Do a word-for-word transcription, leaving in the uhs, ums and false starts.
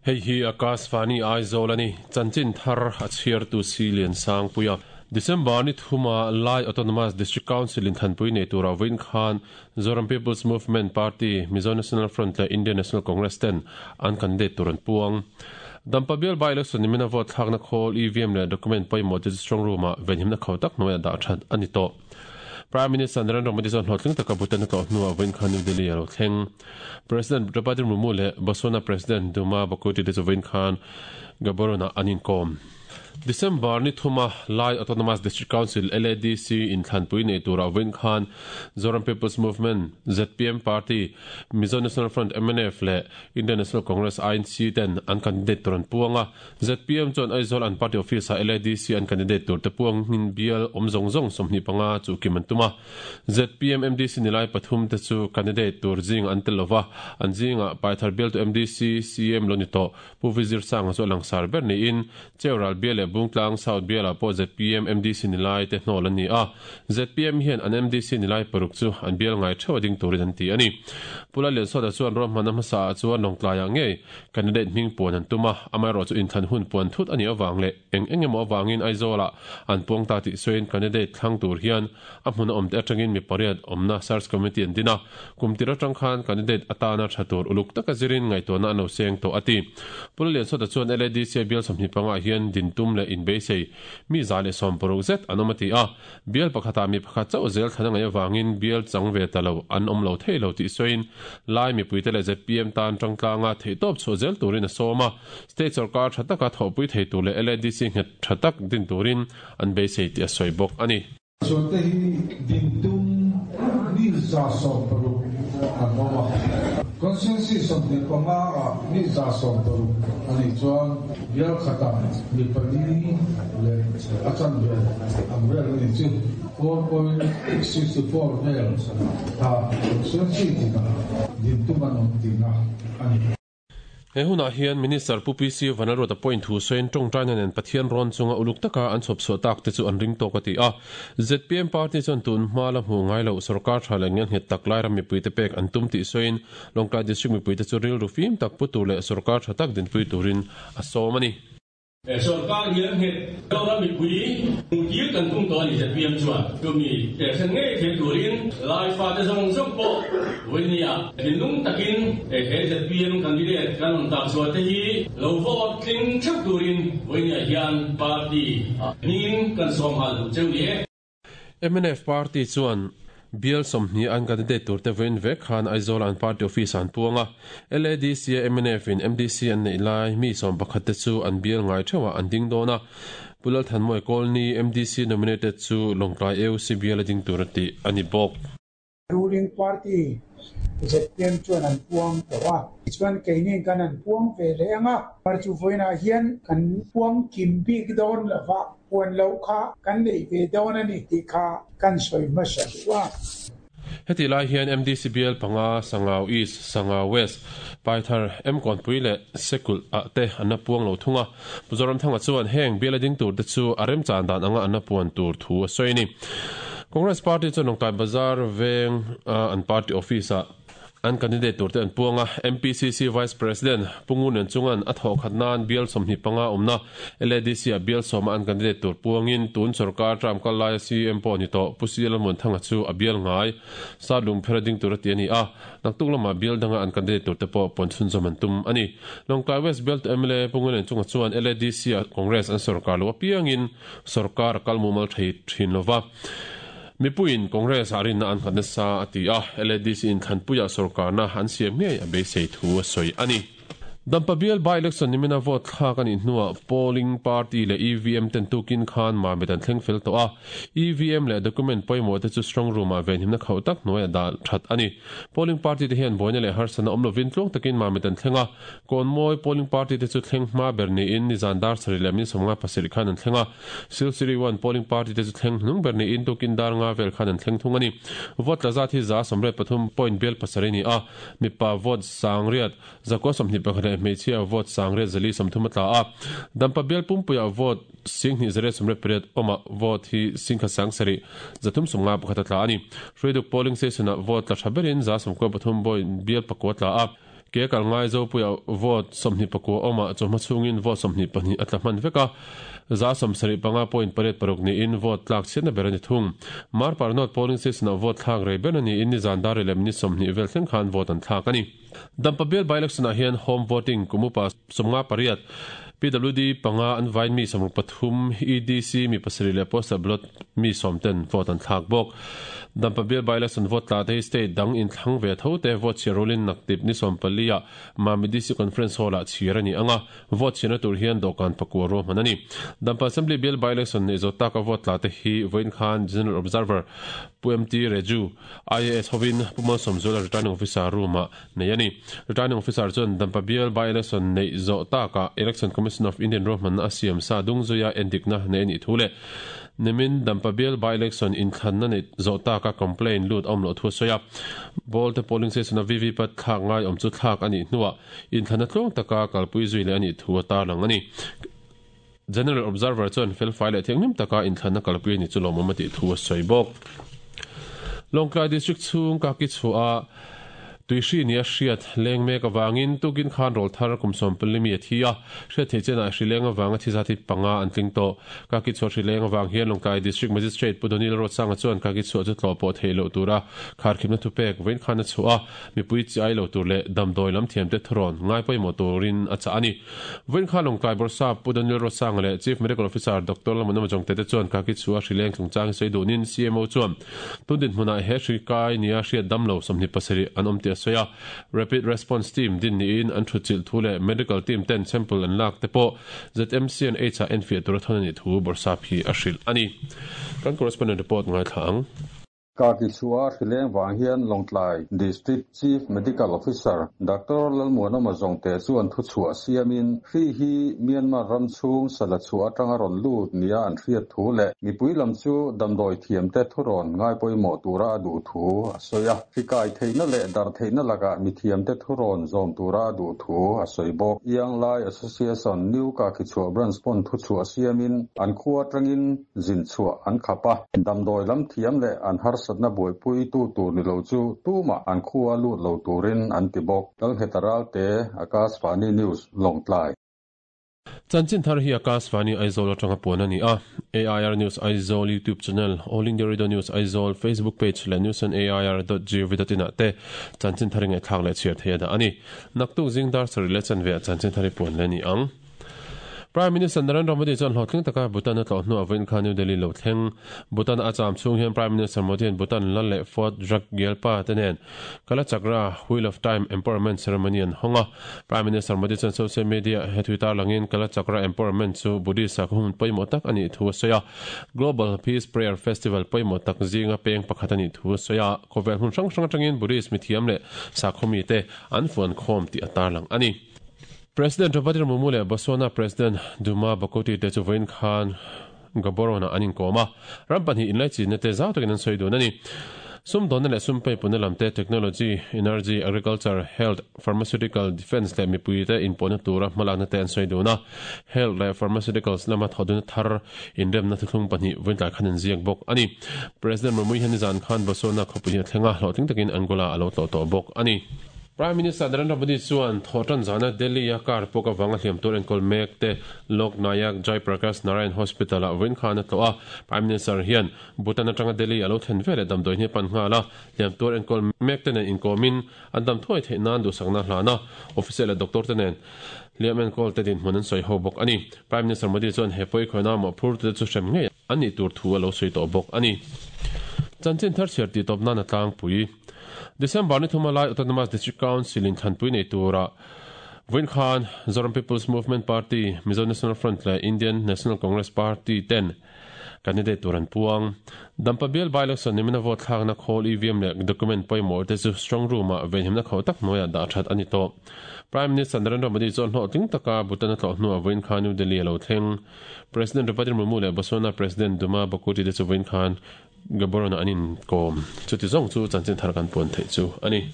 Hei hi Akashvani Aizawl ani chanchin thar a chhiar tu Silian Sangpuia December ni thuma Lai Autonomous District Council in thanpui nei tura win khan Zoram People's Movement Party Mizo National Front le Indian National Congress ten an candidate turan puang Dampa bial by election nimina vote thlakna khawl E V M le document pawimawh te strong room a venhimna kho tak hnuaia dah that ani tawh. Prime Minister Narendra Modi chuan hlawhtling taka Bhutan a tlawh hnuah vawiin khan New Delhi a lo thleng. President Draupadi Murmu leh Botswana President Duma Bokwe te chu vawiin khan Gaborone-ah an inkawm. December ni thuma Lai Autonomous District Council L A D C in thlanpui nei tura vawiin khan Zoram People's Movement Z P M Party Mizo National Front M N F le Indian National Congress I N C ten an candidate tur an puanga Z P M chuan Aizawl an party office a L A D C an candidate tur te puang hin bial awm zawng zawng sawmhnih panga chu kim an tuma Z P M M D C nilai pathum te chu candidate tur zing an tel lova an zinga Paithar bial tu M D C C M lo ni tawh Pu Vizir Sanga chu langsar ber niin Cheural bial le Bungtlang South bial pawh Z P M M D C nilai te hnawl an ni a Z P M hian an M D C nilai paruk chu an bial ngai theuh ding turin an ti ani Pula Liansawta chuan ruahmanna hmasa ah chuan lawngtlaiah ngei candidate hming puan an tuma amaherawh chu inthlan hun puan thut ani awang leh eng eng emaw awangin Aizawl ah an puang ta tih sawiin candidate thlang tur hian a hmun a awm te atangin mi pariat awmna search committee an din a kum tir atang khan candidate atana tha tur uluk taka zirin ngaihtuahna an lo seng tawh a ti Pula Liansawta chuan L A D C bial sawmhnih panga hian din tum le in beisei mi za leh sawm paruk zet an awm a ti a bial pakhatah mi pakhat chauh zel thlan a ngaih awangin bial chang ve ta lo an awm lo thei lo tih sawiin Lai mipui te leh Z P M tan tangtlanga theih tawp chhuah zel turin a sawm a state sarkar tha taka thawhpui thei tur leh L A D C nghet tha tak din turin an beisei tih a sawi bawk ani. Chuan te hi din tum mi za sawm paruk an awm a constituency sawmhnih panga ah mi za sawm paruk ani chuan bial khatah mi pali leh a chan vel ang vel ani chu four point sixty four vel tha constituency tinah din tum an awm tina ani. He hunah hian Minister Pu P C Vanlalruata point thu sawiin tawngtaina nen Pathian rawn chunga uluk taka an chhawp chhuah tak te chu an ring tawk a ti a Z P M Party chuan tun hma la hmu ngai lo sarkar tha leh ngen nghet tak lai ram mipui te pek an tum tih sawiin Lawngtlai District mipui te chu rilru fim tak pu tur leh sarkar tha tak dinpui turin a sawm ani. Sarkar hian nghet ram mipui hmuhtir kan tum tawh ani Z P M chuan tumi thlen ngei thei turin lai fa te zawng zawng pawh vawinia thinlung takin he Z P M candidate kan awm tak chhuah te hi lo vote tling theuh turin vawinia hian party hmingin kan sawm hal duh cheu ni e. M N F Party chuan bial sawmhnih an candidate tur te vawiin vek khan Aizawl an party office an puanga L A D C a M N F in M D C an nei lai mi sawm pakhat te chu an bial ngai theuhah an ding dawn a Pulal Thanmawii Kawlni M D C nominated chu Lawngtlai A U C bial a ding tur a ti ani bawk. Ruling party Z P M chuan an puang tawh a chuan keini kan an puang ve leh anga par chu vawiinah hian kan puang kim bik dawn lova puan lo kha kan nei ve dawn ani tih kha kan sawi hmasa duh a. Heti lai hian M D C bial panga Sangau East Sangau West Paithar M Kawnpui leh Sekul ah te an a puang lo thunga Mizoram thanga chuan heng bial a ding tur te chu a rem chan dan anga an a puan tur thu a sawi ni. Congress Party chuan Lawngtlai Bazar veng an party office ah an candidate tur te an puanga M P C C Vice President Pungun an chungan a thawh khat nan bial sawmhnih panga awmna L A D C a bial sawma an candidate tur puangin tun sarkar tram kal lai C M pawh ni tawh Pu C L Muanthanga chu a bial ngai Satlung phera ding tur a ti ani a naktuk lama bial danga an candidate tur te pawh puan chhunzawm an tum ani Lawngtlai West bial tu M L A Pungun an chunga chuan L A D C a Congress an sarkar lo apiangin sarkar a kal mumal thei thin lova mipuiin Congress a rinna an nghatna sa a ti a L A D C in thlanpuia sarkarna an siam ngei a beisei thu a sawi ani. Dampa bial by election nimina vote thlak ani hnuah polling party leh E V M ten tukin khan mamit an thleng fel tawh a E V M leh document pawimawh te chu strong room ah venhimna khauh tak hnuaia dah that ani. Polling party te hian buaina leh harsana awm lovin tluang takin mamit an thleng a Kawnmawi polling party te chu thleng hma ber niin nizan dar sarih leh min sawmnga pasarih khan an thleng a Silsiri one polling party te chu thleng hnung ber niin tukin dar nga vel khan an thleng thung ani. Vote la zat hi za sawmriat pathum point bial pasarih ni a mipa vote sangriat zakua sawmhnih pakhat leh hmeichhia vote sangriat zali sawmthum a tla a Dampa bial pumpuia vote singhnih zariat sawmriat pariat awma vote hi singkha sang sarih zathum sawmnga pakhat a tla ani. Hruaiduk polling station ah vote la tha berin za sawmkua pathum point bial pakua tla a Ke kal ngai zo puya vote somni pakua oma choma chungin vote somni pahnih atla hman veka za som sari panga point pariat paruk ni in vote tlak chhiatna ber ani thung. Marpar North polling station a vote thlak rei ber ani in ni zan dar lem ni somni vel thleng khan vote an thlak ani. Dampa bial by election ah hian home voting kumupa somnga pariat P W D panga an vain mi samruk pathum E D C mi pasarih leh postal ballot mi sawmten vote an thlak bawk. Dampa bial by election vote tla te hi state dang in thlang ve tho te vote chhiarulin naktip ni sawm pali ah Mami D C conference hall ah chhir ani anga vote chhiarna tur hian dawhkan pakua ruahman ani. Dampa assembly bial by election nei zo taka vote tla te hi vawiin khan general observer Pu M T Reju I A S hovin Pu Malsawmzuala returning officer room ah nei ani. Returning officer chuan Dampa bial by election nei zo taka Election Commission of Indian ruahman a siam sa dungzuia endikna nei ani thu le nimin Dampa bial by election in thlanna nei zo taka complaint lut awm loh thu a sawi a. Ball te polling station a V V pat thlak ngai awm chu thlak ani hnuah in thlanna tluang taka kalpui zui leh ani thu a tarlang ani. General observer chuan fel fai leh thianghlim taka in thlanna kalpui ani chu lawmawm a tih thu a sawi bawk. Lawngtlai district chhung ka ki chhuah a tuihri ni a hriat leng mek awangin tukin khan rawl thar kum sawm pali mi a thi a hriat thei chenah hri leng awanga thi za thi panga an tling tawh. Ka ki chhuah hri leng awang hian Lawngtlai district magistrate Pu Donil Rotsanga chuan ka ki chhuah chu tlawh pawh thei loh tura khar khimna thu pek vawiin khan a chhuah a mipui chi ai lo tur leh damdawi lam thiam te thurawn ngai pawimawh turin a chah ani. Vawiin khan Lawngtlai Bawrhsap Pu Donil Rotsanga leh Chief Medical Officer Doctor Lalmunawma Jongte te chuan ka ki chhuah hri leng chungchang sawi dunin C M O chuan tundin hmunah he hri kai nia hriat damlo sawmhnih pasarih an awm ti a sawi a. Rapid response team din niin an thu chilh thu leh medical team ten sample an lak te pawh Z M C and H a enfiah tura thawn ani thu Bawrhsap hi a hrilh ani. Kan correspondent report ngai thla ang. Ka ki chhuah hri leng wang hian Lawngtlai District Chief Medical Officer Doctor Lalmuanawma Jongte chuan thu chhuah siamin hri hi Myanmar ram chhung sala chhuah atanga rawn lut nia an hriat thu leh mipui lam chu damdawi thiam te thurawn ngai pawimawh tura a duh thu a sawi a. Hri kai theihna leh dar theihna lakah mi thiam te thurawn zawm tura a duh thu a sawi bawk. Iang Lai Association New Ka ki chhuah branch pawn thu chhuah siamin an khua atangin zin chhuah an khap a. Damdawi lam thiam leh an harsat na buaipui tu tur ni lo chu tuma an khua lut lo turin an ti bawk. Lalhetaral te Akashvani News Lawngtlai. Chanchin thar hi Akashvani Aizawl atanga puan ani a. A I R News Aizawl YouTube channel, All India Radio News Aizawl Facebook page leh news on A I R dot gov dot in ah te chanchin thar ngai thlak leh chhiar thei a dah ani. Naktuk zingdar sari leh chanve ah chanchin thar hi puan le ni ang. Prime Minister Narendra Modi chuan hlawhtling taka Bhutan a tlawh hnuah vawiin khan New Delhi lo thleng. Bhutan a cham chhung hian Prime Minister Modi an Bhutan lal leh Fort Drukgyalpa te nen Kalachakra Wheel of Time Empowerment Ceremony an hawng a. Prime Minister Modi chuan social media he thui tarlangin Kalachakra Empowerment chu Buddhist sakhaw hmun pawimawh tak ani thu a sawi a. Global Peace Prayer Festival pawimawh tak zinga peng pakhat ani thu a sawi a. Khawvel hmun hrang hrang atangin Buddhist mithiam leh sakhaw mi te an fuan khawm tih a tarlang ani. President Draupadi Murmu leh Botswana President Duma Bokoti te chu vawiin khan Gaborone an inkawm a. Ram pahnih inlai chinna te zau takin an sawi dun ani. Sum dawnna leh sum pei puna lam te technology, energy, agriculture, health, pharmaceutical, defence leh mipui te inpawhna tura hmalakna te an sawi dun a. Health leh pharmaceuticals lama thawduna thar inremna thuthlung pahnih vawiin tlai khan an ziak bawk ani. President Murmu hian nizan khan Botswana khawpui hi a thleng a, hlawhtling takin Angola a lo tlawh tawh bawk ani. Prime Minister Narendra Modi chuan thawhtan zana Delhi a car pawk awanga hliam tur enkawl mek te Lok Nayak Jai Prakash Narayan Hospital ah vawiin khan a tlawh a. Prime Minister hian Bhutan atanga Delhi a lo thlen veleh damdawi hne pan nghal a. Hliam tur enkawl mek te nen inkawmin an dam thuai theih nan duhsakna hlan a. Official leh doctor te nen hliam enkawl te dinhmun an sawi ho bawk ani. Prime Minister Modi chuan he pawi khawina mawh phur te chu hrem ngei ani tur thu a lo sawi tawh bawk ani. Chanchin thar chhiar tih tawp nan a tlangpui. December ni thuma lai Autonomous District Council in Thanpui nei tura vawiin khan Zoram People's Movement Party, Mizo National Front leh Indian National Congress Party ten candidate tur an puang. Dampa bial by election nimina vote thlakna khawl E V M leh document pawimawh te chu strong room ah venhimna kho tak hnuaiah dah that ani tawh. Prime Minister Narendra Modi chuan hlawhtling taka Bhutan a tlawh hnuah vawiin khan New Delhi a lo thleng. President Draupadi Murmu leh Botswana President Duma Bokoti te chu vawiin khan Gaborone an inkawm. Chuti zawng chu chanchin thar kan puan theih chu ani.